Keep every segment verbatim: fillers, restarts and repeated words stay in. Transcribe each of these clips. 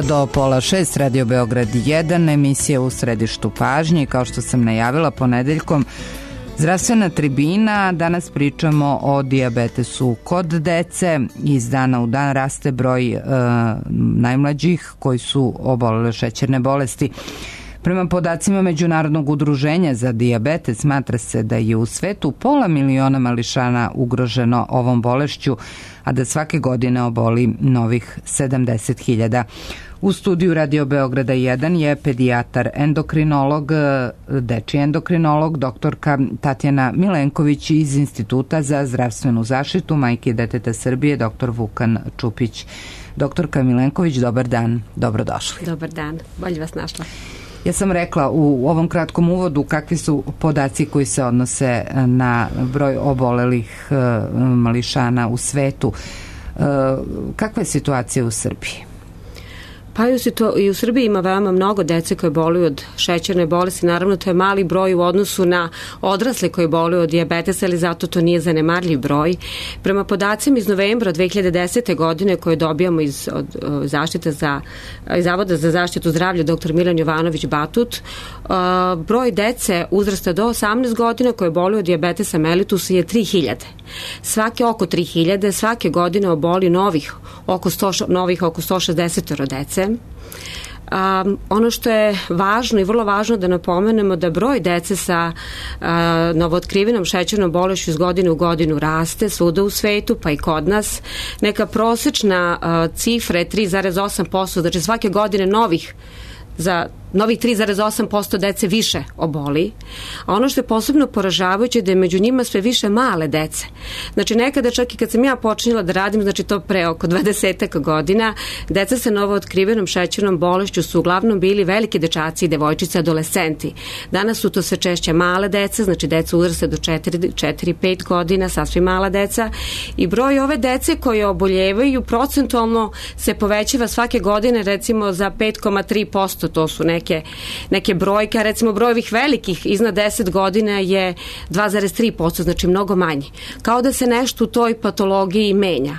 Do pola šest, Radio Beograd jedan, emisija U središtu pažnje. Kao što sam najavila ponedeljkom, zdravstvena tribina. Danas pričamo o dijabetesu kod dece. Iz dana u dan raste broj e, najmlađih koji su obolele šećerne bolesti. Prema podacima Međunarodnog udruženja za dijabetes, smatra se da je u svetu pola miliona mališana ugroženo ovom bolešću, a da svake godine oboli novih sedamdeset hiljada. U studiju Radio Beograda jedan je pedijatar endokrinolog, dečiji endokrinolog, doktorka Tatjana Milenković iz Instituta za zdravstvenu zaštitu majke i deteta Srbije, doktor Vukan Čupić. Doktorka Milenković, dobar dan, dobrodošli. Dobar dan, bolje vas našla. Ja sam rekla u ovom kratkom uvodu kakvi su podaci koji se odnose na broj obolelih mališana u svetu. Kakva je situacija u Srbiji? Pa i u, situ, i u Srbiji ima veoma mnogo dece koje boluju od šećerne bolesti. Naravno, to je mali broj u odnosu na odrasle koji boluju od dijabetesa, ali zato to nije zanemarljiv broj. Prema podacima iz novembra dve hiljade desete. godine koje dobijamo iz od, zaštite za, iz Zavoda za zaštitu zdravlja dr. Milan Jovanović Batut, uh, broj dece uzrasta do osamnaest godina koje boluju od dijabetesa mellitusa je tri hiljade. Svake oko tri hiljade, svake godine oboli novih oko sto, novih oko sto šezdeset dece. Um, ono što je važno i vrlo važno da napomenemo da broj dece sa uh, novootkrivenom šećernom bolešću iz godine u godinu raste svuda u svetu, pa i kod nas. Neka prosečna uh, cifra je tri zarez osam posto, znači svake godine novih za novih tri zarez osam posto dece više oboli. A ono što je posebno poražavajuće je da je među njima sve više male dece. Znači nekada čak i kad sam ja počinjela da radim, znači to pre oko dvadesetak godina, deca sa novootkrivenom šećernom bolešću su uglavnom bili veliki dečaci i devojčice, adolescenti. Danas su to sve češće male deca, znači deca uzraste do četiri pet godina, sasvim mala deca, i broj ove dece koje oboljevaju procentualno se povećava svake godine recimo za pet zarez tri posto, to su neke Neke, neke brojke, a recimo broj ovih velikih iznad deset godina je dva zarez tri posto, znači mnogo manji. Kao da se nešto u toj patologiji menja.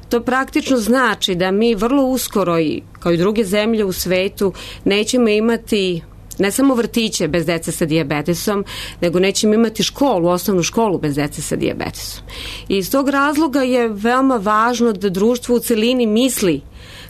To praktično znači da mi vrlo uskoro, kao i druge zemlje u svetu, nećemo imati ne samo vrtiće bez dece sa dijabetesom, nego nećemo imati školu, osnovnu školu bez dece sa dijabetesom. I iz tog razloga je veoma važno da društvo u celini misli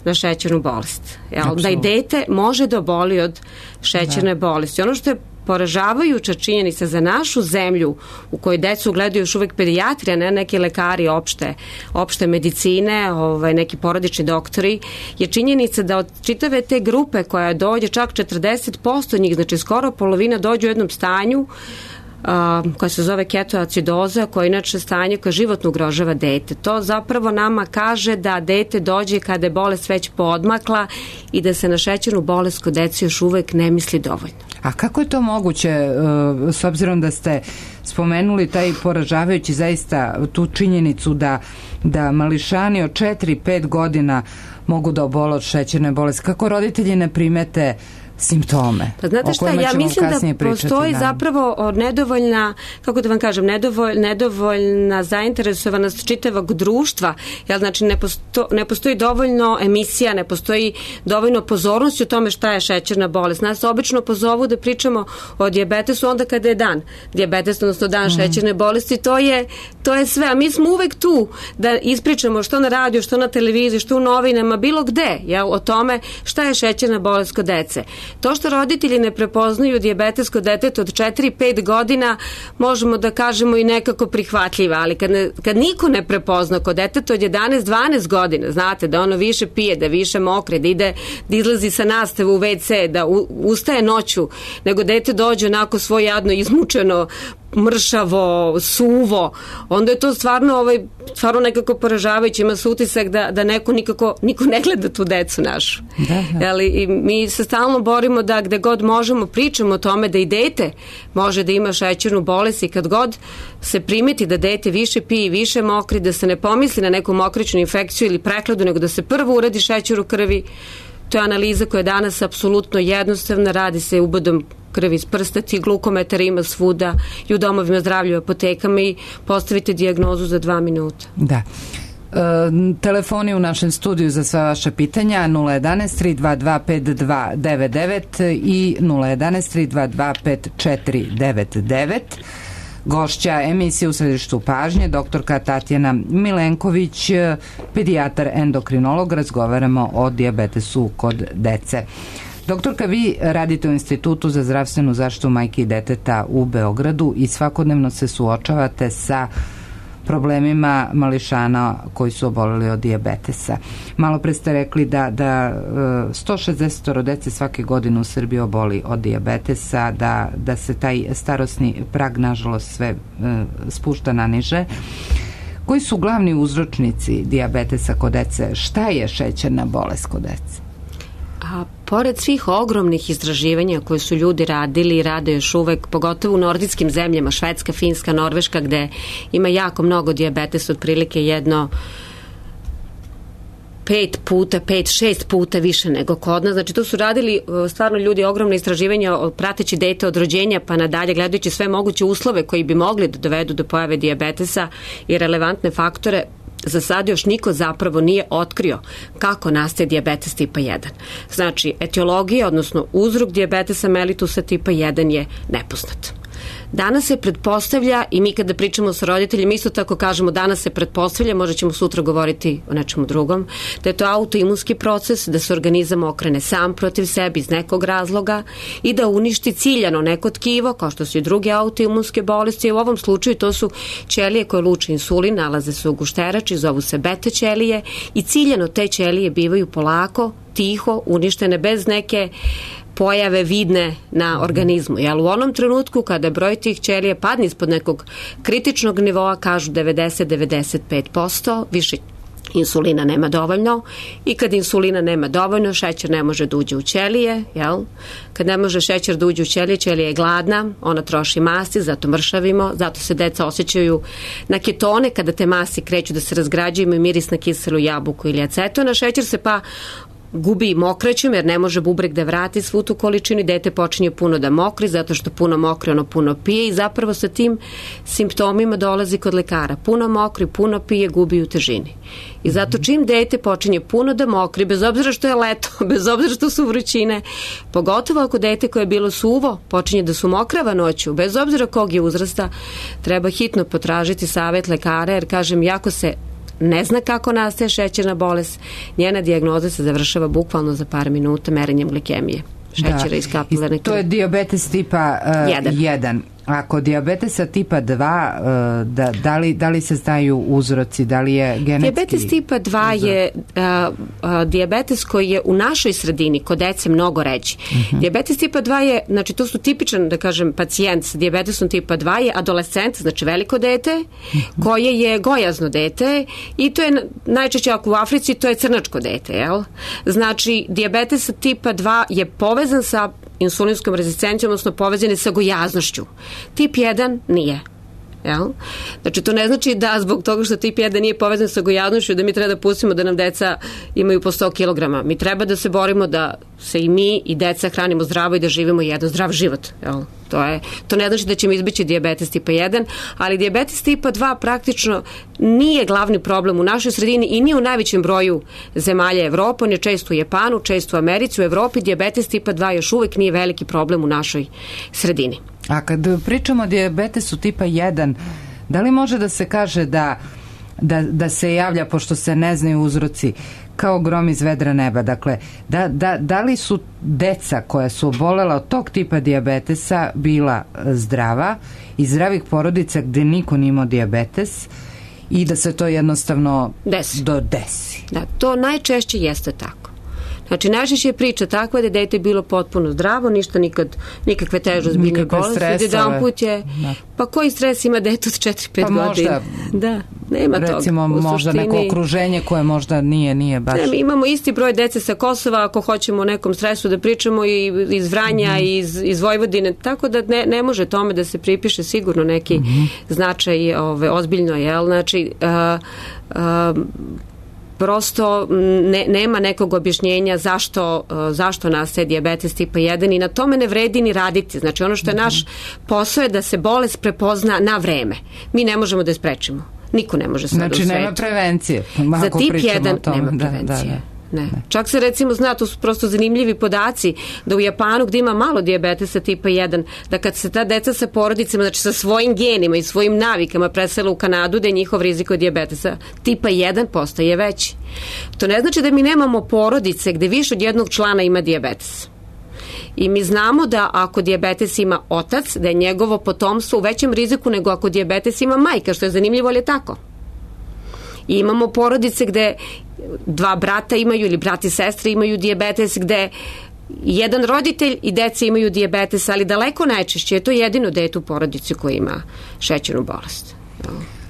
na šećernu bolest. Jel, da i dete može da oboli od šećerne da. bolesti. Ono što je poražavajuća činjenica za našu zemlju u kojoj decu gledaju još uvek pedijatri, a ne neki lekari opšte, opšte medicine, ovaj, neki porodični doktori, je činjenica da od čitave te grupe koja dođe čak četrdeset posto njih, znači skoro polovina dođe u jednom stanju Uh, koja se zove ketoacidoza, koja je inače stanje koje životno ugrožava dete. To zapravo nama kaže da dete dođe kada je bolest već poodmakla i da se na šećernu bolest kod dece još uvek ne misli dovoljno. A kako je to moguće, uh, s obzirom da ste spomenuli taj poražavajući zaista tu činjenicu da, da mališani od četiri pet godina mogu da obole od šećerne bolesti? Kako roditelji ne primete simptome? Pa znate šta, ja mislim da postoji zapravo nedovoljna, kako da vam kažem, nedovolj, nedovoljna zainteresovanost čitavog društva, jer znači ne, posto, ne postoji dovoljno emisija, ne postoji dovoljno pozornosti o tome šta je šećerna bolest. Nas obično pozovu da pričamo o dijabetesu onda kada je dan dijabetes, odnosno dan mm. šećerne bolesti, to je, to je sve, a mi smo uvek tu da ispričamo što na radiju, što na televiziji, što u novinama, bilo gde, jel, o tome šta je šećerna bolest kod dece. To što roditelji ne prepoznaju dijabetes kod deteta od četiri pet godina, možemo da kažemo i nekako prihvatljiva, ali kad, ne, kad niko ne prepozna kod deteta od jedanaest dvanaest godina, znate, da ono više pije, da više mokre, da ide, da izlazi sa nastave u ve ce, da u, ustaje noću, nego dete dođe onako svoje jadno izmučeno, mršavo, suvo, onda je to stvarno, ovaj, stvarno nekako poražavajuće. Ima se utisak da, da neko nikako, niko ne gleda tu decu našu. Da, da. Jeli, i mi se stalno borimo da gde god možemo pričamo o tome da i dete može da ima šećernu bolest i kad god se primeti da dete više pije i više mokri, da se ne pomisli na neku mokričnu infekciju ili prehladu, nego da se prvo uradi šećer u krvi. To je analiza koja je danas apsolutno jednostavna, radi se ubodom krvi iz prsta, ti glukometara ima svuda i u domovima zdravlja, u apotekama i postavite dijagnozu za dva minuta. Da. E, telefoni u našem studiju za sva vaša pitanja nula jedanaest tri dva dva pet dva devet devet i nula jedanaest tri dva dva pet četiri devet devet. Gošća emisije U središtu pažnje, doktorka Tatjana Milenković, pedijatar endokrinolog, razgovaramo o dijabetesu kod dece. Doktorka, vi radite u Institutu za zdravstvenu zaštitu majke i deteta u Beogradu i svakodnevno se suočavate sa problemima mališana koji su oboleli od dijabetesa. Malo pre ste rekli da, da sto šezdeset dece svake godine u Srbiji oboli od dijabetesa, da, da se taj starosni prag nažalost sve e, spušta na niže. Koji su glavni uzročnici dijabetesa kod dece? Šta je šećerna bolest kod dece? A pored svih ogromnih istraživanja koje su ljudi radili i rade još uvek, pogotovo u nordijskim zemljama, Švedska, Finska, Norveška, gde ima jako mnogo dijabetesa, otprilike jedno pet puta, pet, šest puta više nego kod nas. Znači, tu su radili stvarno ljudi ogromne istraživanja prateći dete od rođenja pa nadalje, gledajući sve moguće uslove koji bi mogli da dovedu do pojave dijabetesa i relevantne faktore. Za sad još niko zapravo nije otkrio kako nastaje dijabetes tipa jedan. Znači, etiologija, odnosno uzrok dijabetesa mellitusa tipa jedan je nepoznat. Danas se pretpostavlja, i mi kada pričamo sa roditeljima isto tako kažemo danas se pretpostavlja, možda ćemo sutra govoriti o nečemu drugom, da je to autoimunski proces, da se organizam okrene sam protiv sebi iz nekog razloga i da uništi ciljano neko tkivo, kao što su i druge autoimunske bolesti. U ovom slučaju to su ćelije koje luče insulin, nalaze se u gušterači, zovu se beta ćelije i ciljano te ćelije bivaju polako, tiho, uništene bez neke pojave vidne na organizmu. Jel, u onom trenutku kada broj tih ćelija padne ispod nekog kritičnog nivoa, kažu devedeset do devedeset pet posto, više insulina nema dovoljno i kad insulina nema dovoljno, šećer ne može da uđe u ćelije, jel? Kad ne može šećer da uđe u ćelije, ćelija je gladna, ona troši masti, zato mršavimo, zato se deca osjećaju na ketone, kada te masti kreću da se razgrađuju, imaju miris na kiselu jabuku ili acetona, šećer se pa gubi mokraćom jer ne može bubreg da vrati svu tu količinu i dete počinje puno da mokri zato što puno mokri ono puno pije i zapravo sa tim simptomima dolazi kod lekara. Puno mokri, puno pije, gubi u težini. I zato čim dete počinje puno da mokri, bez obzira što je leto, bez obzira što su vrućine, pogotovo ako dete koje je bilo suvo počinje da su mokrava noću, bez obzira kog je uzrasta, treba hitno potražiti savjet lekara jer kažem, jako se ne zna kako nastaje šećerna bolest, njena dijagnoza se završava bukvalno za par minuta merenjem glikemije šećera da, iz kapilarne krvi. To je dijabetes tipa jedan. Ako dijabetesa tipa dva, da, da, li, da li se znaju uzroci, da li je genetski? Dijabetes tipa dva uzrok? je a, a, dijabetes koji je u našoj sredini kod dece mnogo ređi. Uh-huh. Dijabetes tipa dva je, znači to su tipičan, da kažem, pacijent sa dijabetesom tipa dva je adolescent, znači veliko dete, uh-huh. koje je gojazno dete i to je najčešće ako u Africi, to je crnačko dete, jel? Znači, dijabetes tipa dva je povezan sa insulinskom rezistencijom, odnosno povezani sa gojaznošću. Tip jedan nije. Jel? Znači, to ne znači da zbog toga što tip jedan nije povezan sa gojaznošću da mi treba da pustimo da nam deca imaju po sto kilograma. Mi treba da se borimo da se i mi i deca hranimo zdravo i da živimo jedan zdrav život. Jel? To, je, to ne znači da ćemo izbeći dijabetes tipa jedan, ali dijabetes tipa dva praktično nije glavni problem u našoj sredini i nije u najvećem broju zemalja Evrope, on je često u Japanu, često u Americi, u Evropi dijabetes tipa dva još uvek nije veliki problem u našoj sredini. A kad pričamo o dijabetesu tipa jedan, da li može da se kaže da, da, da se javlja, pošto se ne znaju uzroci, kao grom iz vedra neba? Dakle, da, da, da li su deca koja su obolela od tog tipa dijabetesa bila zdrava iz zdravih porodica gde niko nije imao dijabetes i da se to jednostavno desi. do desi? Da, to najčešće jeste tako. Znači, najčešće je priča takva da je dete bilo potpuno zdravo, ništa nikad, nikakve teže ozbiljne bolesti. Jedan put je, da. Pa koji stres ima dete od četiri pet pa godina? Da, nema toga. Recimo, možda neko okruženje koje možda nije, nije baš... Ne, mi imamo isti broj dece sa Kosova, ako hoćemo o nekom stresu da pričamo, i iz Vranja, mm-hmm. i iz, iz Vojvodine, tako da ne, ne može tome da se pripiše sigurno neki mm-hmm. značaj ove, ozbiljno, jel? Znači, uh, uh, prosto ne, nema nekog objašnjenja zašto, zašto nastaje dijabetes tipa jedan i na tome ne vredi ni raditi. Znači ono što je naš posao je da se bolest prepozna na vreme. Mi ne možemo da je sprečimo. Niko ne može sada znači, u svetu. Znači nema prevencije. Za tip jedan nema prevencije. Da, da. Ne. Čak se recimo zna, to su prosto zanimljivi podaci, da u Japanu gdje ima malo dijabetesa tipa jedan, da kad se ta deca sa porodicama, znači sa svojim genima i svojim navikama presele u Kanadu, da je njihov rizik od dijabetesa tipa jedan postaje veći. To ne znači da mi nemamo porodice gdje više od jednog člana ima dijabetes. I mi znamo da ako dijabetes ima otac, da je njegovo potomstvo u većem riziku nego ako dijabetes ima majka, što je zanimljivo, ali je tako. I imamo porodice gde dva brata imaju ili brat i sestre imaju dijabetes, gde jedan roditelj i deca imaju dijabetes, ali daleko najčešće je to jedino dete u porodici koji ima šećernu bolest.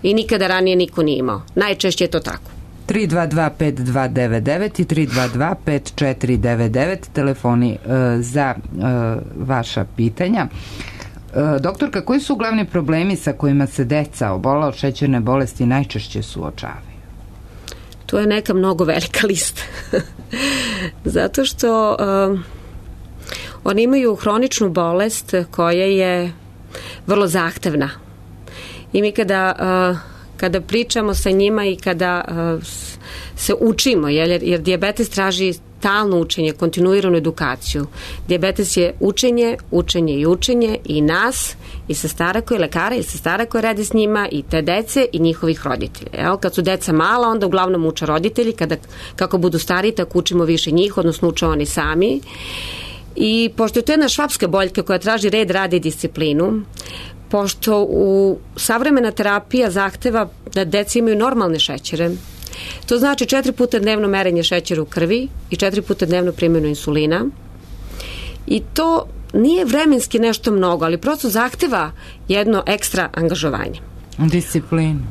I nikada ranije niko nije imao. Najčešće je to tako. tri dva dva pet dva devet devet i tri dva dva pet četiri devet devet telefoni uh, za uh, vaša pitanja. Uh, doktorka, koji su glavni problemi sa kojima se deca obola od šećerne bolesti najčešće suočavaju? To je neka mnogo velika lista. Zato što uh, oni imaju hroničnu bolest koja je vrlo zahtevna. I mi kada, uh, kada pričamo sa njima i kada uh, se učimo, jer, jer dijabetes traži stalno učenje, kontinuiranu edukaciju. Dijabetes je učenje, učenje i učenje i nas, i sestara koji lekara, i sestara koji radi s njima, i te dece i njihovih roditelja. Jel? Kad su deca mala, onda uglavnom uče roditelji, kada, kako budu stariji, tako učimo više njih, odnosno uče oni sami. I pošto je to jedna švapska boljka koja traži red, rad i disciplinu, pošto u savremena terapija zahteva da deca imaju normalne šećere, to znači četiri puta dnevno merenje šećera u krvi i četiri puta dnevno primjenu insulina. I to nije vremenski nešto mnogo, ali prosto zahteva jedno ekstra angažovanje. Disciplinu.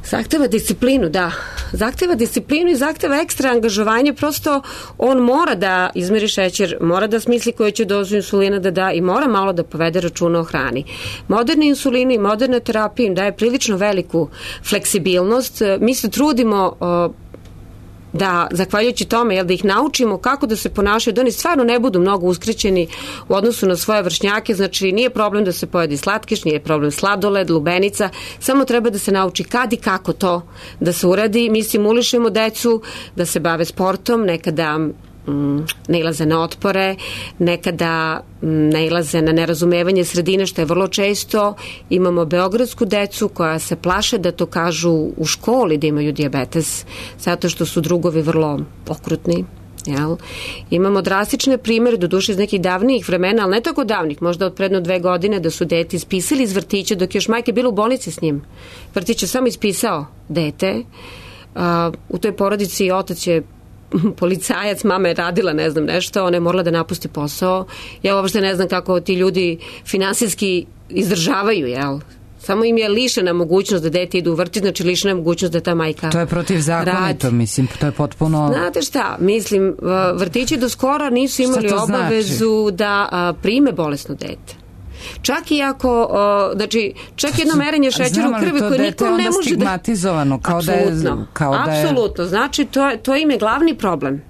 Zahteva disciplinu, da. Zahteva disciplinu i zahteva ekstra angažovanje, prosto on mora da izmeri šećer, mora da smisli koju će dozu insulina da da i mora malo da povede računa o hrani. Moderni insulini i moderna terapija im daje prilično veliku fleksibilnost. Mi se trudimo da, zahvaljujući tome, jel, da ih naučimo kako da se ponašaju, da oni stvarno ne budu mnogo uskrećeni u odnosu na svoje vršnjake. Znači, nije problem da se pojedi slatkiš, nije problem sladoled, lubenica, samo treba da se nauči kad i kako to da se uradi. Mi simulišemo decu da se bave sportom, nekada mm, nailaze na otpore, nekada mm, nailaze na nerazumevanje sredine, što je vrlo često. Imamo beogradsku decu koja se plaše da to kažu u školi da imaju dijabetes, zato što su drugovi vrlo okrutni. Jel? Imamo drastične primere, doduše iz nekih davnijih vremena, ali ne tako davnih, možda od predno dve godine, da su dete ispisali iz vrtića dok je još majka bila u bolnici s njim. Vrtić je samo ispisao dete. Uh, u toj porodici otac je policajac, mama je radila ne znam nešto, ona je morala da napusti posao. Ja uopšte ne znam kako ti ljudi finansijski izdržavaju, jel? Samo im je lišena mogućnost da dete idu u vrtić, znači lišena je mogućnost da ta majka to je protivzakonito, mislim, to je potpuno... Znate šta, mislim, vrtići do skora nisu imali obavezu znači? da a, prime bolesno dete. Čak i ako, uh, znači, čak jedno merenje šećera u krvi koje niko ne može da... stigmatizovano, kao da je... Kao da je... Apsolutno, znači, to, to im je glavni problem.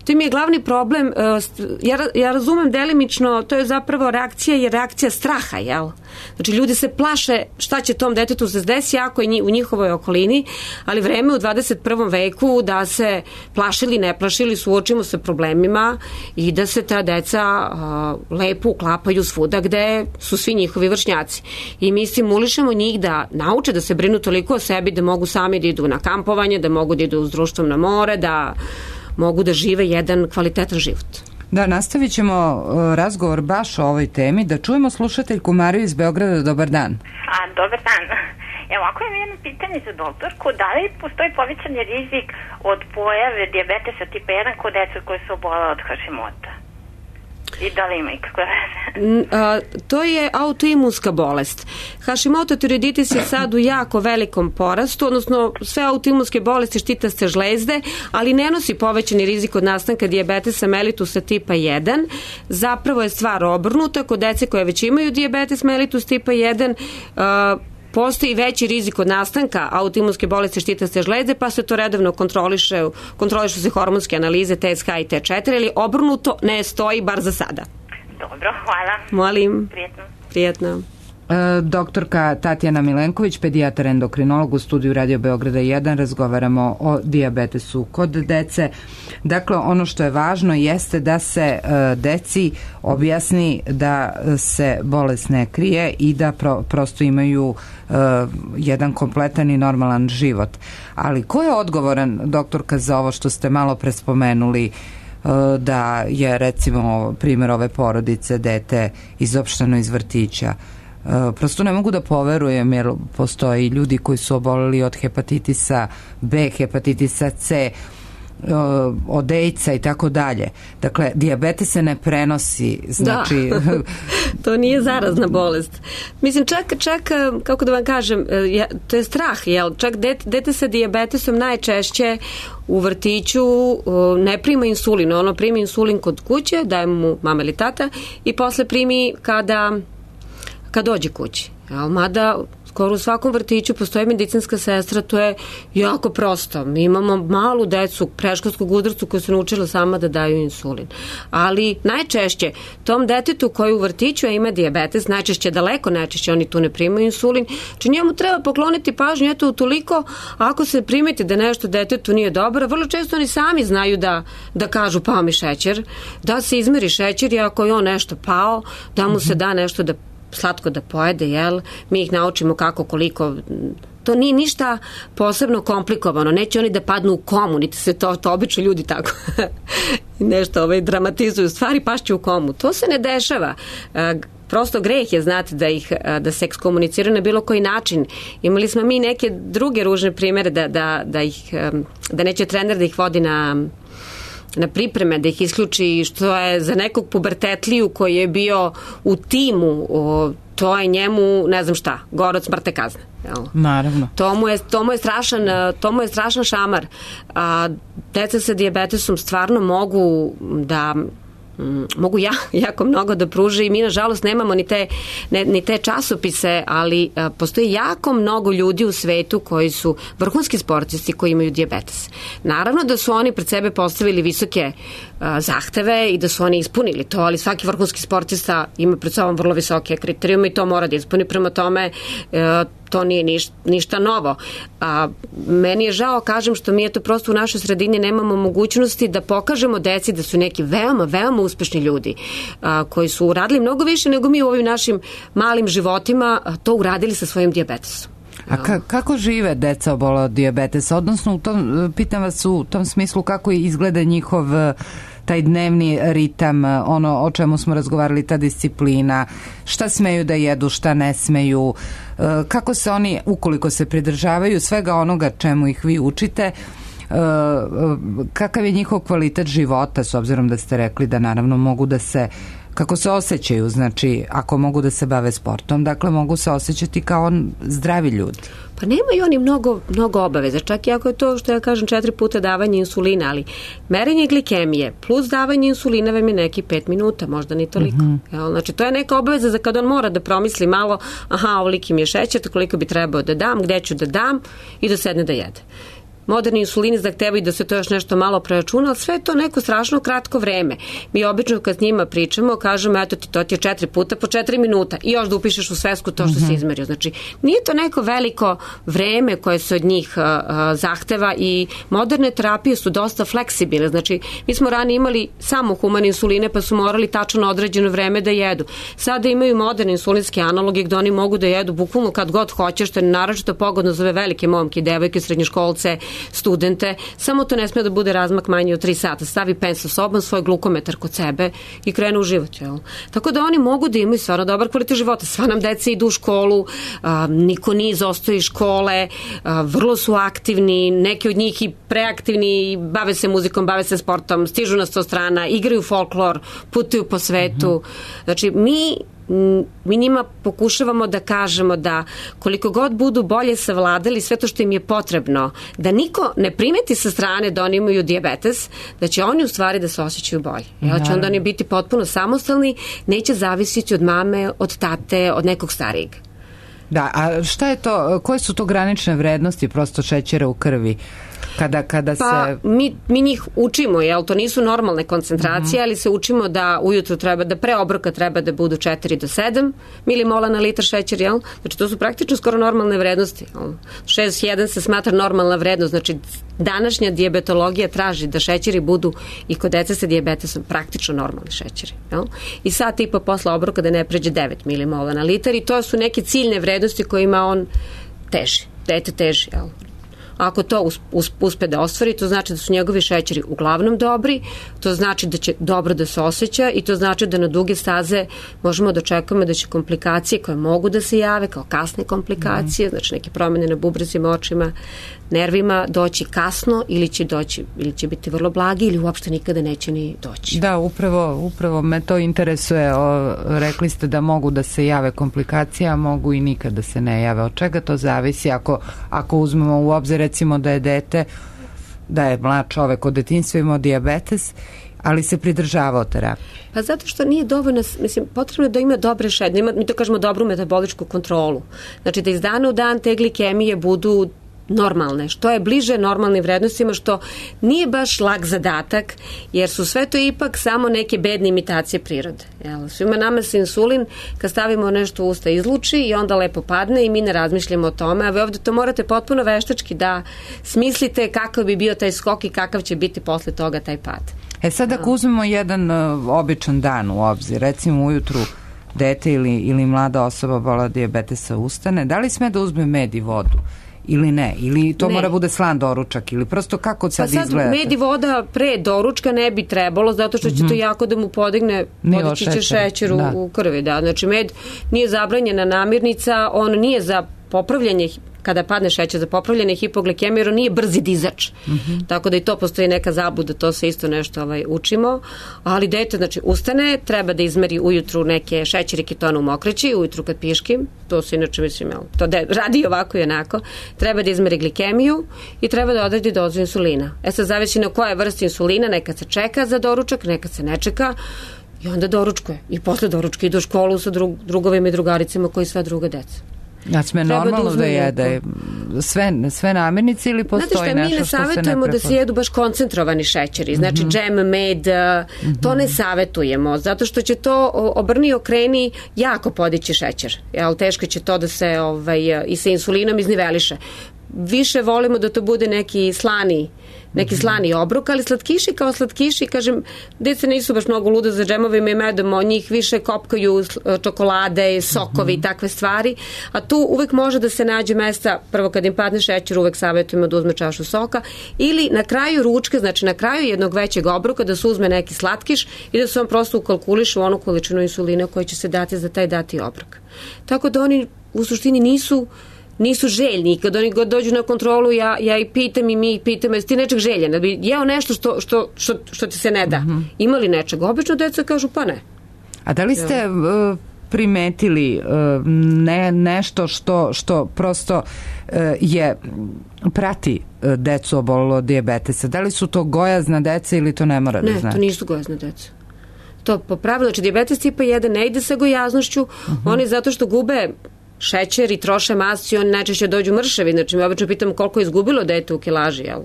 To im je glavni problem, uh, ja, ja razumem delimično, to je zapravo reakcija, je reakcija straha, jel? Znači, ljudi se plaše šta će tom detetu se desi ako je u njihovoj okolini, ali vreme u dvadeset prvom veku da se plašili, ne plašili, suočimo se problemima i da se ta deca uh, lepo uklapaju svuda gde su svi njihovi vršnjaci. I mi simulišemo njih da nauče da se brinu toliko o sebi da mogu sami da idu na kampovanje, da mogu da idu uz društvom na more, da mogu da žive jedan kvalitetan život. Da, nastavit ćemo razgovor baš o ovoj temi. Da čujemo slušateljku Mariju iz Beograda. Dobar dan. A, dobar dan. Evo, ako imam jedno pitanje za doktorku, da li postoji povećani rizik od pojave dijabetesa tipa jedan kod dece koje su obolele od Hashimota? I da li ima ikakve veze? To je autoimunska bolest. Hashimoto tiroiditis je sad u jako velikom porastu, odnosno sve autoimunske bolesti štitaste žlezde, ali ne nosi povećani rizik od nastanka dijabetesa mellitusa tipa jedan. Zapravo je stvar obrnuta. Kod dece koje već imaju dijabetes mellitus tipa jedan, postoji veći rizik od nastanka autoimunske bolesti štitaste žlezde, pa se to redovno kontroliše, kontrolišu se hormonske analize T S H i T četiri, ali obrnuto ne stoji, bar za sada. Dobro, hvala. Molim. Prijetno. Prijetno. E, doktorka Tatjana Milenković, pedijatar endokrinolog u studiju Radio Beograda jedan, razgovaramo o dijabetesu kod dece. Dakle, ono što je važno jeste da se e, deci objasni da se bolest ne krije i da pro, prosto imaju e, jedan kompletan i normalan život. Ali ko je odgovoran, doktorka, za ovo što ste malo prespomenuli, da je recimo primjer ove porodice, dete izopšteno iz vrtića? Prosto ne mogu da poverujem, jer postoji ljudi koji su oboleli od hepatitisa B, hepatitisa C, od AIDS-a i tako dalje. Dakle, dijabetes se ne prenosi, znači... Da, to nije zarazna bolest. Mislim, čak, čak kako da vam kažem, to je strah, jel? Čak dete, dete sa dijabetesom najčešće u vrtiću ne prima insulin. Ono primi insulin kod kuće, daje mu mama ili tata i posle primi kada, kad dođe kući. Jel? Mada skoro u svakom vrtiću postoji medicinska sestra, to je jako prosto. Mi imamo malu decu predškolskog uzrasta koja su naučila sama da daju insulin. Ali najčešće tom detetu koji u vrtiću ima dijabetes, najčešće daleko najčešće oni tu ne primaju insulin, či njemu treba pokloniti pažnju, eto utoliko ako se primeti da nešto detetu nije dobro, vrlo često oni sami znaju da, da kažu pao mi šećer, da se izmeri šećer i ako je on nešto pao, da mu se da nešto da slatko da pojede, jel? Mi ih naučimo kako, koliko. To nije ništa posebno komplikovano. Neće oni da padnu u komu, niti se to, to obično ljudi tako nešto ovaj, dramatizuju. Stvari pašću u komu. To se ne dešava. Prosto greh je, znate, da, ih, da se ekskomuniciraju na bilo koji način. Imali smo mi neke druge ružne primere da, da, da, ih, da neće trener da ih vodi na na pripreme, da ih isključi, što je za nekog pubertetliju koji je bio u timu, o, to je njemu, ne znam šta, gore od smrtne kazne. Jel? Naravno. To mu je, to mu je, strašan, to mu je strašan šamar. A, deca sa dijabetesom stvarno mogu da mogu ja, jako mnogo da pruže i mi nažalost nemamo ni te, ne, ni te časopise, ali a, postoji jako mnogo ljudi u svetu koji su vrhunski sportisti koji imaju dijabetes. Naravno da su oni pred sebe postavili visoke a, zahteve i da su oni ispunili to, ali svaki vrhunski sportista ima pred sobom vrlo visoke kriterijume i to mora da ispuni, prema tome a, to nije ništa, ništa novo. A, meni je žao, kažem, što mi je to prosto u našoj sredini nemamo mogućnosti da pokažemo deci da su neki veoma, veoma uspešni ljudi a, koji su uradili mnogo više nego mi u ovim našim malim životima a, to uradili sa svojim dijabetesom. A ka, kako žive deca obola od dijabetesa? Odnosno, u tom, pitam vas u tom smislu kako izgleda njihov taj dnevni ritam, ono o čemu smo razgovarali, ta disciplina, šta smeju da jedu, šta ne smeju, kako se oni, ukoliko se pridržavaju svega onoga čemu ih vi učite, kakav je njihov kvalitet života, s obzirom da ste rekli da naravno mogu da se, kako se osjećaju, znači ako mogu da se bave sportom, dakle mogu se osjećati kao zdravi ljudi. Pa nemaju oni mnogo, mnogo obaveza, čak i ako je to, što ja kažem, četiri puta davanje insulina, ali merenje glikemije plus davanje insulina vam je neki pet minuta, možda ni toliko. Mm-hmm. Jel? Znači, to je neka obaveza za kad on mora da promisli malo, aha, ovoliki mi je šećer, koliko bi trebao da dam, gde ću da dam i da sedne da jede. Moderni insulini zahtevaju da se to još nešto malo preračuna, ali sve je to neko strašno kratko vreme. Mi obično kad s njima pričamo, kažemo, eto ti, to ti je četiri puta po četiri minuta i još da upišeš u svesku to što mm-hmm. si izmerio. Znači, nije to neko veliko vreme koje se od njih uh, zahteva i moderne terapije su dosta fleksibilne. Znači, mi smo ranije imali samo humane insuline pa su morali tačno određeno vreme da jedu. Sada imaju moderne insulinske analoge gde oni mogu da jedu bukvalno kad god hoće, što je naročito pogodno za ove velike momke i devojke, srednjoškolce, studente, samo to ne sme da bude razmak manji od tri sata. Stavi pen sa sobom, svoj glukometar kod sebe i krenu u život. Jel? Tako da oni mogu da imaju stvarno dobar kvalitet života. Sva nam deca idu u školu, a, niko nije izostoji škole, a, vrlo su aktivni, neki od njih i preaktivni, bave se muzikom, bave se sportom, stižu na sto strana, igraju folklor, putuju po svetu. Mm-hmm. Znači, mi mi njima pokušavamo da kažemo da koliko god budu bolje savladali sve to što im je potrebno, da niko ne primeti sa strane da oni imaju dijabetes, da će oni u stvari da se osjećaju bolje. Da će onda oni biti potpuno samostalni, neće zavisiti od mame, od tate, od nekog starijeg. Da, a šta je to, koje su to granične vrednosti prosto šećera u krvi? Kada, kada pa se... mi, mi njih učimo, jel, to nisu normalne koncentracije, mm-hmm. ali se učimo da ujutru treba, da pre obroka treba da budu četiri do sedam milimola na litar šećer, jel? Znači to su praktično skoro normalne vrednosti. šest zarez jedan se smatra normalna vrednost, znači današnja dijabetologija traži da šećeri budu i kod dece sa dijabetesom praktično normalni šećeri, jel? I sat i po posle obroka da ne pređe devet milimola na litar i to su neke ciljne vrednosti kojima on teži, dete teži, jel? Ako to uspe da ostvari, to znači da su njegovi šećeri uglavnom dobri, to znači da će dobro da se osjeća i to znači da na duge staze možemo da očekujemo da će komplikacije koje mogu da se jave kao kasne komplikacije, mm. znači neke promjene na bubrezima, očima, nervima, doći kasno ili će doći, ili će biti vrlo blagi ili uopšte nikada neće ni doći. Da, upravo, upravo me to interesuje. O, rekli ste da mogu da se jave komplikacije, a mogu i nikada se ne jave. Od čega to zavisi ako, ako uzmemo u obzir recimo da je dete, da je mlad čovek od detinjstva imao dijabetes, ali se pridržavao terapije? Pa zato što nije dovoljno, mislim, potrebno je da ima dobre šećere, mi to kažemo dobru metaboličku kontrolu. Znači da iz dana u dan te glikemije budu normalne, što je bliže normalnim vrednostima, što nije baš lak zadatak, jer su sve to ipak samo neke bedne imitacije prirode. Jel? Svima nama se insulin, kad stavimo nešto u usta, izluči i onda lepo padne i mi ne razmišljamo o tome, a vi ovde to morate potpuno veštački da smislite kakav bi bio taj skok i kakav će biti posle toga taj pad. E sad ako uzmemo jedan uh, običan dan u obzir, recimo ujutru dete ili, ili mlada osoba bola dijabetesa ustane, da li sme da uzme med i vodu? Ili ne? Ili to ne. Mora bude slan doručak? Ili prosto kako sad, pa sad izgleda? Med i voda pre doručka ne bi trebalo, zato što će mm-hmm. to jako da mu podigne, podići će šećer u, da. u krvi. Da. Znači med nije zabranjena namirnica, on nije za popravljanje, kada padne šećer, za popravljanje hipoglikemije, jer on nije brzi dizač. Mm-hmm. Tako da i to postoji neka zabluda, to se isto nešto ovaj, učimo. Ali dete, znači, ustane, treba da izmeri ujutru neke šećer i ketona u mokreći, ujutru kad piškim, to se inače, mislim, to de, radi ovako i onako, treba da izmeri glikemiju i treba da odredi dozu insulina. E sad, zavisi na koje vrste insulina, nekad se čeka za doručak, nekad se ne čeka, i onda doručkuje. I posle doručka ide u školu sa drug, drugovima i drugaricama koji sva druga deca. A sme normalno da, da jede sve, sve namirnice ili postoji nešto što se ne prepoznaje? Mi ne savjetujemo da se jedu baš koncentrovani šećeri, znači mm-hmm. džem, med, mm-hmm. to ne savjetujemo, zato što će to obrni okreni jako podići šećer, jel, teško će to da se ovaj, i sa insulinom izniveliše. Više volimo da to bude neki slani neki slani obrok, ali slatkiši kao slatkiši, kažem, deca nisu baš mnogo luda za džemovima i medom, od njih više kopkaju čokolade, sokovi i takve stvari, a tu uvek može da se nađe mesta, prvo kad im padne šećer, uvek savjetujemo da uzme čašu soka, ili na kraju ručka, znači na kraju jednog većeg obroka da se uzme neki slatkiš i da se on prosto ukalkuliše u onu količinu insulina koja će se dati za taj dati obrok. Tako da oni u suštini nisu nisu željni. Kad oni god dođu na kontrolu, ja, ja i pitam i mi pitam, jesi ti nečeg željen? Da bi jeo nešto što, što, što, što ti se ne da. Mm-hmm. Ima li nečeg? Obično deca kažu, pa ne. A da li ste uh, primetili uh, ne, nešto što, što prosto uh, je prati uh, decu obolelo od dijabetesa? Da li su to gojazna deca ili to ne mora da znači? Ne, to nisu gojazna deca. To po pravilu, znači dijabetes tipa jedan ne ide sa gojaznošću, mm-hmm. oni zato što gube šećer i troše masu i oni najčešće dođu mršavi. Znači, mi obično pitamo koliko je izgubilo dete u kilaži, jel?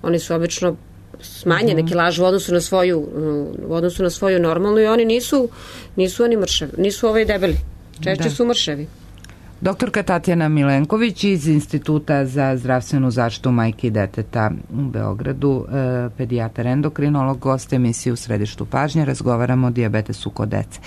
Oni su obično smanjene mm-hmm. kilaže u odnosu na svoju u odnosu na svoju normalnu i oni nisu nisu oni mršavi, nisu ovaj debeli. Češće da. su mršavi. Doktorka Tatjana Milenković iz Instituta za zdravstvenu zaštitu majke i deteta u Beogradu, eh, pedijatar endokrinolog, gost emisije U središtu pažnje, razgovaramo o dijabetesu kod dece.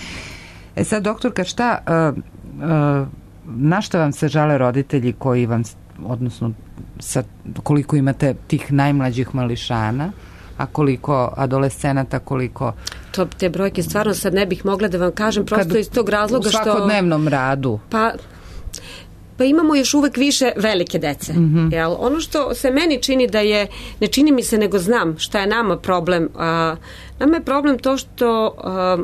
E sad, doktorka, šta eh, eh, na šta vam se žale roditelji koji vam odnosno sa, koliko imate tih najmlađih mališana, a koliko adolescenata, koliko... To, te brojke stvarno sad ne bih mogla da vam kažem, prosto kad, iz tog razloga što... U svakodnevnom radu. Pa... Pa imamo još uvek više velike dece. Mm-hmm. Jel? Ono što se meni čini da je, ne čini mi se nego znam šta je nama problem. A, nama je problem to što a,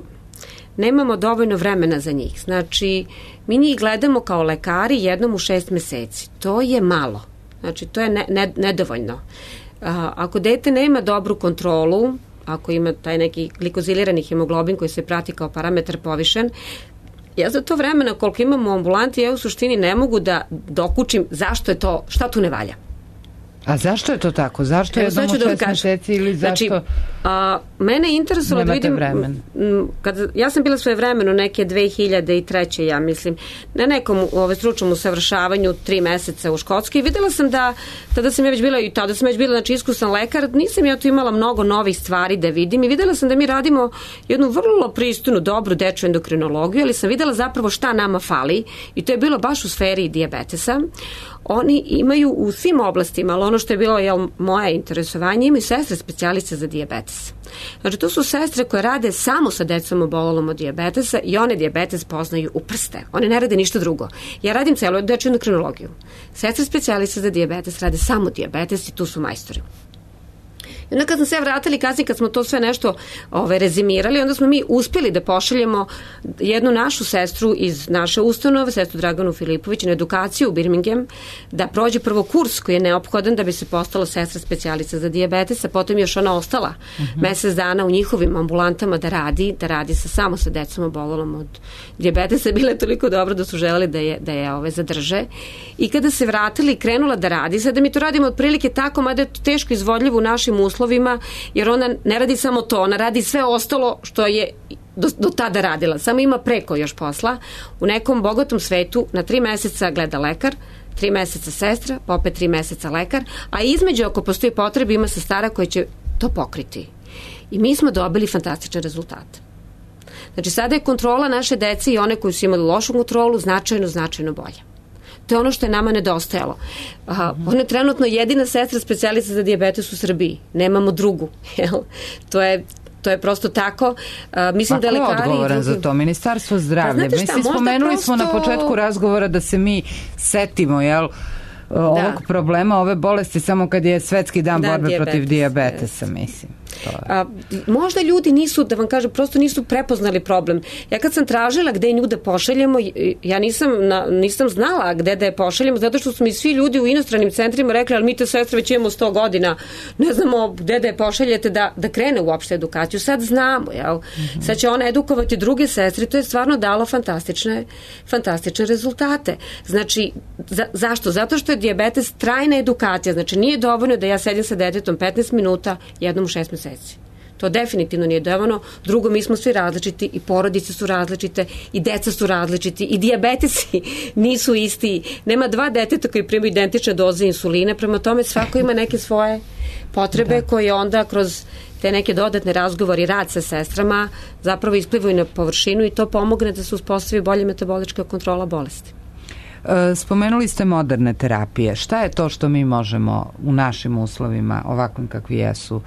nemamo dovoljno vremena za njih. Znači, mi njih gledamo kao lekari jednom u šest meseci. To je malo. Znači, to je ne, ne, nedovoljno. A, ako dete nema dobru kontrolu, ako ima taj neki glikozilirani hemoglobin koji se prati kao parametar povišen, ja za to vremena koliko imam u ambulanti, ja u suštini ne mogu da dokučim zašto je to, šta tu ne valja. A zašto je to tako? Zašto je jednom u šest meseci ili zašto... Znači, a, mene je interesovalo da vidim... vremen. Kad, ja sam bila svoje vremeno neke dve hiljade treće. ja mislim, na nekom ove, stručnom usavršavanju tri meseca u Škotskoj i videla sam da, tada sam ja već bila, i tada sam već bila, znači iskusan lekar, nisam ja tu imala mnogo novih stvari da vidim i videla sam da mi radimo jednu vrlo pristojnu, dobru dečju endokrinologiju, ali sam videla zapravo šta nama fali i to je bilo baš u sferi dijabetesa. Oni imaju u svim oblastima, ali ono što je bilo jel, moje interesovanje, imaju sestre specijalice za dijabetes. Znači, to su sestre koje rade samo sa decom obolelom od dijabetesa i one dijabetes poznaju u prste. One ne rade ništa drugo. Ja radim celu dečju endokrinologiju. Sestre specijalice za dijabetes rade samo dijabetes i tu su majstori. I onda kad smo se vratili kasnije, kad smo to sve nešto ove, rezimirali, onda smo mi uspjeli da pošaljemo jednu našu sestru iz naše ustanove, sestru Draganu Filipović, na edukaciju u Birmingham, da prođe prvo kurs koji je neophodan da bi se postala sestra specijalica za dijabetes, a potom još ona ostala uh-huh. mesec dana u njihovim ambulantama da radi, da radi sa, samo sa decom obolelom od dijabetesa. Bila je toliko dobro da su želeli da je, da je ove, zadrže. I kada se vratili, krenula da radi, sada mi to radimo otprilike tako, mada je to teško izvodljivo u našim uslovima, jer ona ne radi samo to, ona radi sve ostalo što je do, do tada radila, samo ima preko još posla. U nekom bogatom svetu na tri meseca gleda lekar, tri meseca sestra, pa opet tri meseca lekar, a između ako postoji potreba ima sestara koja će to pokriti. I mi smo dobili fantastičan rezultat. Znači sada je kontrola naše dece i one koji su imali lošu kontrolu značajno, značajno bolja. To je ono što je nama nedostajalo. Aha, ona je trenutno jedina sestra specijalica za dijabetes u Srbiji. Nemamo drugu. Jel? To je To je prosto tako. Uh, mislim da je lekari... Ko je odgovoran za to? Ministarstvo zdravlja. Pa, šta, mislim, spomenuli prosto... smo na početku razgovora da se mi setimo, jel, da. ovog problema, ove bolesti samo kad je svetski dan da, borbe dijabetes, protiv dijabetesa, yes. mislim. A, možda ljudi nisu, da vam kažem, prosto nisu prepoznali problem. Ja kad sam tražila gde nju da pošaljemo, ja nisam, na, nisam znala gde da je pošaljemo, zato što su mi svi ljudi u inostranim centrima rekli, ali mi te sestre već imamo sto godina, ne znamo gde da je pošaljete da, da krene uopšte edukaciju. Sad znamo, jel? Mm-hmm. Sad će ona edukovati druge sestre, to je stvarno dalo fantastične, fantastične rezultate. Znači, za, zašto? Zato što je dijabetes trajna edukacija, znači nije dovoljno da ja sedim sa detetom petnaest minuta jednom u šest meseci. To definitivno nije dovoljno. Drugo, mi smo svi različiti i porodice su različite i deca su različiti i dijabetesi nisu isti. Nema dva deteta koji primaju identične doze insulina, prema tome svako ima neke svoje potrebe da. koje onda kroz te neke dodatne razgovori, rad sa sestrama zapravo isplivaju na površinu i to pomogne da se uspostavi bolja metabolička kontrola bolesti. Spomenuli ste moderne terapije. Šta je to što mi možemo u našim uslovima, ovakvim kakvi jesu,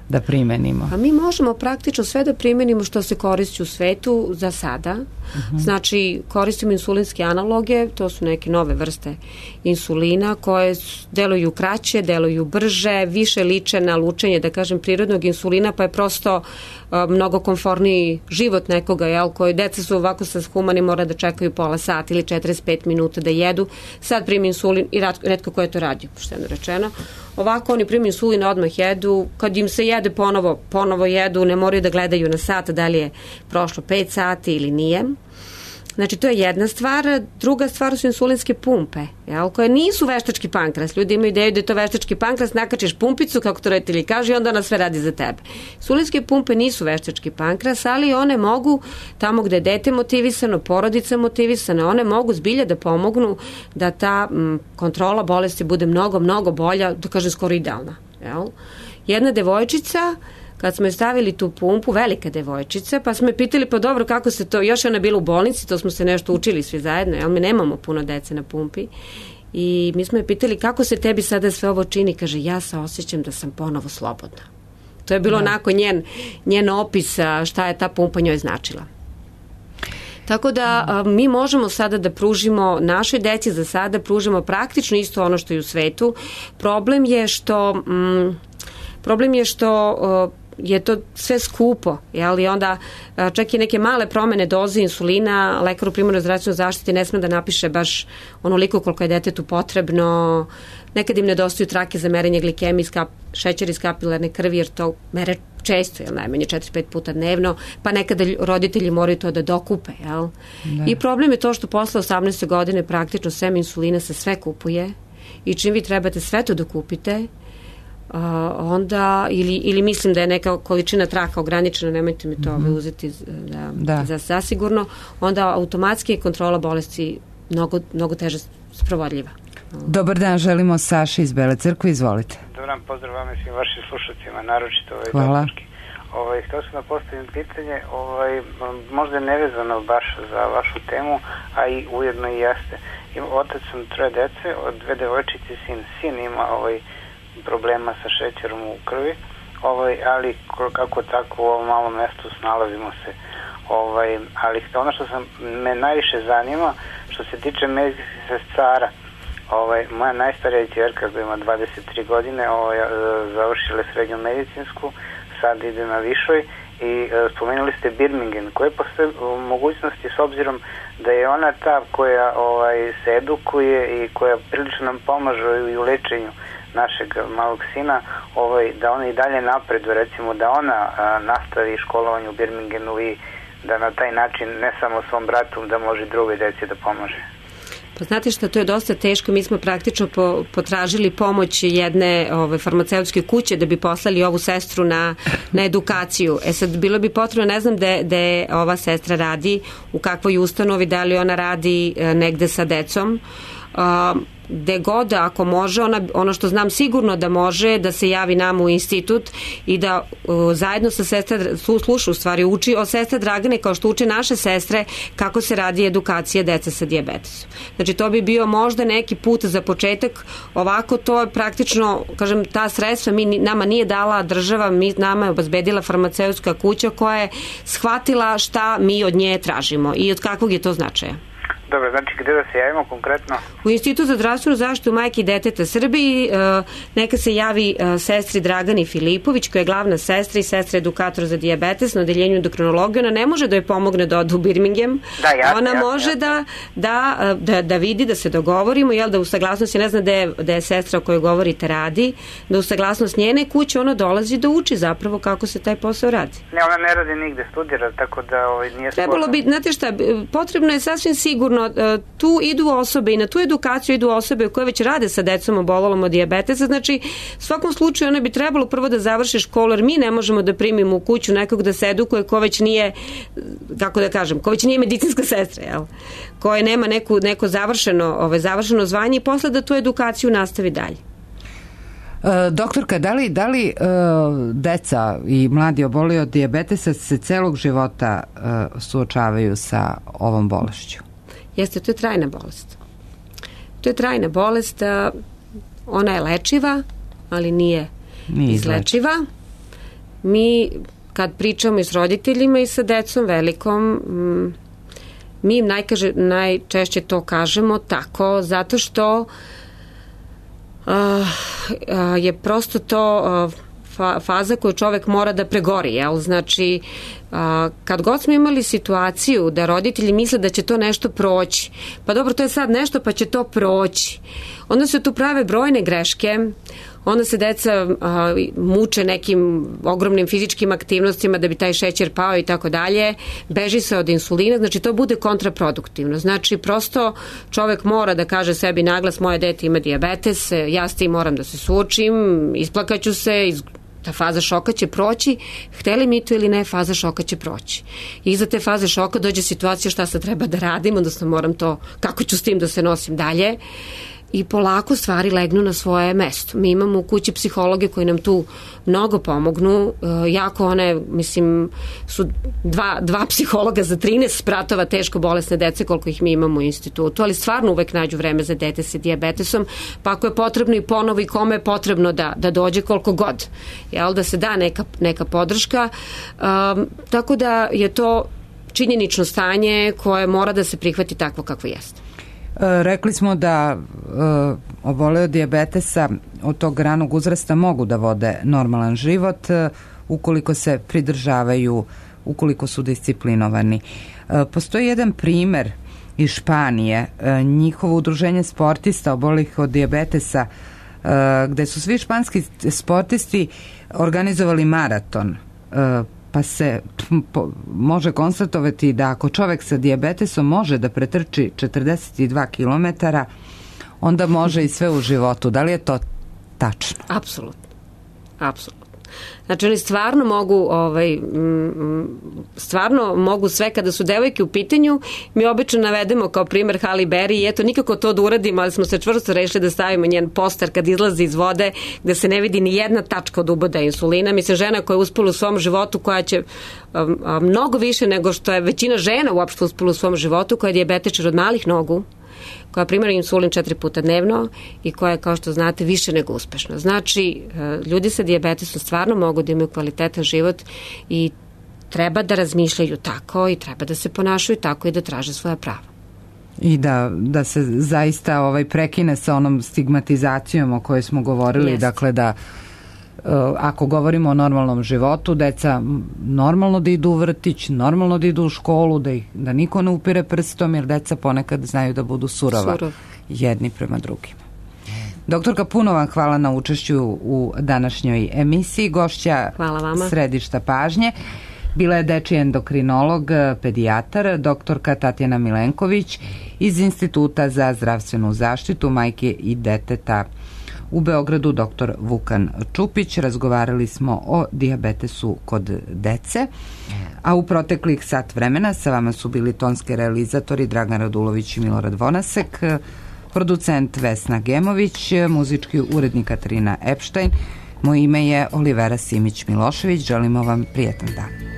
da primenimo? A mi možemo praktično sve da primenimo što se koristi u svetu za sada. Uh-huh. Znači, koristimo insulinske analoge, to su neke nove vrste insulina koje deluju kraće, deluju brže, više liče na lučenje, da kažem, prirodnog insulina, pa je prosto uh, mnogo komforniji život nekoga, jel, koji deca su ovako sa humani mora da čekaju pola sata ili četrdeset pet minuta da jedu. Sad primi insulin i retko ko je to radio, pošteno rečeno. Ovako oni primi insulin, odmah jedu, kad im se jede ponovo, ponovo jedu, ne moraju da gledaju na sat da li je prošlo pet sati ili nije. Znači, to je jedna stvar. Druga stvar su insulinske pumpe, jel, koje nisu veštački pankras. Ljudi imaju ideju da je to veštački pankras, nakačiš pumpicu, kako to roditelji kažu, i onda ona sve radi za tebe. Insulinske pumpe nisu veštački pankras, ali one mogu, tamo gde je dete motivisano, porodica motivisana, one mogu zbilja da pomognu da ta m, kontrola bolesti bude mnogo, mnogo bolja, da kažem skoro idealna. Jel? Jedna devojčica, kad smo je stavili tu pumpu, velika devojčica, pa smo je pitali, pa dobro, kako se to, još je ona bila u bolnici, to smo se nešto učili svi zajedno, jel, mi nemamo puno dece na pumpi, I mi smo je pitali kako se tebi sada sve ovo čini, kaže ja se osjećam da sam ponovo slobodna. To je bilo da. Onako njen, njen opis šta je ta pumpa njoj značila. Tako da a, mi možemo sada da pružimo našoj deci, za sada pružimo praktično isto ono što je u svetu. Problem je što mm, problem je što a, je to sve skupo, jel? I onda čak i neke male promene doze insulina lekar u primarnoj zdravstvenoj zaštiti ne sme da napiše baš onoliko koliko je detetu potrebno. Nekad im nedostaju trake za merenje glikemije, skap, šećer iz kapilarne krvi, jer to mere često, jel, najmanje četiri do pet puta dnevno, pa nekada roditelji moraju to da dokupe, jel? I problem je to što posle osamnaeste godine praktično sem insulina se sve kupuje i čim vi trebate sve to da kupite, Uh, onda, ili, ili mislim da je neka količina traka ograničena, nemojte mi to mm-hmm. uzeti da, da. Za zasigurno, onda automatski je kontrola bolesti mnogo, mnogo teže sprovodljiva. Dobar dan, želimo Saša iz Bele Crkve, izvolite. Dobar dan, pozdrav vam i svim vašim slušacima, naročito ovaj Hvala. Ovaj, htio sam da postavim pitanje, ovaj, možda je nevezano baš za vašu temu, a i ujedno i jeste. Otac sam troje dece, od dve devojčice i sin. Sin ima ovaj problema sa šećerom u krvi, ovaj, ali kako tako u ovom malom mestu snalazimo se. Ovaj, ali ono što sam, me najviše zanima, što se tiče medicinskih sestara, ovaj, moja najstarija ćerka koja ima dvadeset tri godine, ovaj, završila je srednju medicinsku, sad ide na višoj i e, spomenuli ste Birmingham, koje postoje mogućnosti s obzirom da je ona ta koja ovaj, se edukuje i koja prilično nam pomaže i u lečenju našeg malog sina, ovaj, da ona i dalje napreduje, recimo da ona a, nastavi školovanje u Birminghamu i da na taj način ne samo svom bratu da može drugoj deci da pomože. Pa znate što, to je dosta teško. Mi smo praktično po, potražili pomoć jedne ove, farmaceutske kuće da bi poslali ovu sestru na, na edukaciju. E sad, bilo bi potrebno, ne znam gde ova sestra radi, u kakvoj ustanovi, da li ona radi e, negde sa decom. Uh, gde god, ako može, ona, ono što znam sigurno da može, da se javi nam u institut i da uh, zajedno sa sestra, sluša u stvari, uči o sestre Dragane kao što uče naše sestre kako se radi edukacija dece sa dijabetesom. Znači to bi bio možda neki put za početak. Ovako to je praktično, kažem, ta sredstva mi, nama nije dala država, mi, nama je obezbedila farmaceutska kuća koja je shvatila šta mi od nje tražimo i od kakvog je to značaja. Dobro, znači gde da se javimo konkretno? U Institut za zdravstvenu zaštitu majke i deteta Srbiji neka se javi sestri Dragani Filipović, koja je glavna sestra i sestra edukator za dijabetes na odeljenju endokrinologije. Ona ne može da joj pomogne da ode u Birmingham. Da, jasno, ona jasno, može jasno. Da, da, da, da vidi, da se dogovorimo, jel, da u saglasnosti, ne zna da je, da je sestra o kojoj govorite radi, da u saglasnost njene kuće ona dolazi da uči zapravo kako se taj posao radi. Ne, ona ne radi nigde, studira, tako da ovaj, nije sporno. Trebalo bi, znate šta, potrebno je sasvim sigurno, tu idu osobe i na tu edukaciju idu osobe koje već rade sa decom obolelom od dijabetesa, znači u svakom slučaju ona bi trebalo prvo da završi školu, jer mi ne možemo da primimo u kuću nekog da se edukuje ko već nije, kako da kažem, ko već nije medicinska sestra, jel? Koje nema neku, neko završeno, ove, završeno zvanje i posle da tu edukaciju nastavi dalje. E, doktorka, da li, da li e, deca i mladi oboli od dijabetesa se celog života e, suočavaju sa ovom bolešću? Jeste, to je trajna bolest. To je trajna bolest, ona je lečiva, ali nije, nije izlečiva. Mi, kad pričamo i s roditeljima i sa decom velikom, mi im najkaže, najčešće to kažemo tako, zato što uh, je prosto to uh, faza koju čovek mora da pregori, jel? Znači, a, kad god smo imali situaciju da roditelji misle da će to nešto proći, pa dobro, to je sad nešto pa će to proći, onda se tu prave brojne greške, onda se deca a, muče nekim ogromnim fizičkim aktivnostima da bi taj šećer pao i tako dalje, beži se od insulina, znači to bude kontraproduktivno. Znači, prosto čovek mora da kaže sebi naglas, moje dete ima dijabetes, ja s tim moram da se suočim, isplakaću se, iz ta faza šoka će proći, hteli mi to ili ne, faza šoka će proći. I iza te faze šoka dođe situacija šta sad treba da radim, odnosno moram to, kako ću s tim da se nosim dalje. i polako stvari legnu na svoje mesto. Mi imamo u kući psihologe koji nam tu mnogo pomognu, jako one, mislim, su dva, dva psihologa za trinaest spratova teško bolesne dece koliko ih mi imamo u institutu, ali stvarno uvek nađu vreme za dete sa dijabetesom, pa ako je potrebno i ponovo i kome je potrebno da, da dođe koliko god, jel, da se da neka, neka podrška, um, tako da je to činjenično stanje koje mora da se prihvati takvo kakvo jeste. Rekli smo da uh, obole od dijabetesa od tog ranog uzrasta mogu da vode normalan život uh, ukoliko se pridržavaju, ukoliko su disciplinovani. Uh, postoji jedan primer iz Španije, uh, njihovo udruženje sportista obolih od dijabetesa, uh, gde su svi španski sportisti organizovali maraton, uh, pa se po, može konstatovati da ako čovek sa dijabetesom može da pretrči četrdeset dva kilometara, onda može i sve u životu. Da li je to tačno? Apsolutno. Apsolutno. Znači oni stvarno mogu ovaj, stvarno mogu sve kada su devojke u pitanju. Mi obično navedemo kao primer Halle Berry i eto nikako to da uradimo, ali smo se čvrsto rešili da stavimo njen poster kad izlazi iz vode gde se ne vidi ni jedna tačka od uboda insulina. Mislim, žena koja je uspela u svom životu, koja će um, um, mnogo više nego što je većina žena uopšte uspela u svom životu, koja je dijabetičar od malih nogu, koja primara insulin četiri puta dnevno i koja je, kao što znate, više nego uspešna. Znači, ljudi sa dijabetesom stvarno mogu da imaju kvalitetan život i treba da razmišljaju tako i treba da se ponašaju tako i da traže svoja prava. I da, da se zaista ovaj prekine sa onom stigmatizacijom o kojoj smo govorili, Jest. dakle da ako govorimo o normalnom životu, deca normalno da idu u vrtić, normalno da idu u školu, da, ih, da niko ne upire prstom, jer deca ponekad znaju da budu surova Surov. jedni prema drugima. Doktorka, puno vam hvala na učešću u današnjoj emisiji. Gošća Središta pažnje bila je dečiji endokrinolog, pedijatar, doktorka Tatjana Milenković iz Instituta za zdravstvenu zaštitu majke i deteta u Beogradu, doktor Vukan Čupić. Razgovarali smo o dijabetesu kod dece, a u proteklih sat vremena sa vama su bili tonski realizatori Dragan Radulović i Milorad Vonasek, producent Vesna Gemović, muzički urednik Katarina Epštajn. Moje ime je Olivera Simić Milošević. Želimo vam prijetan dan.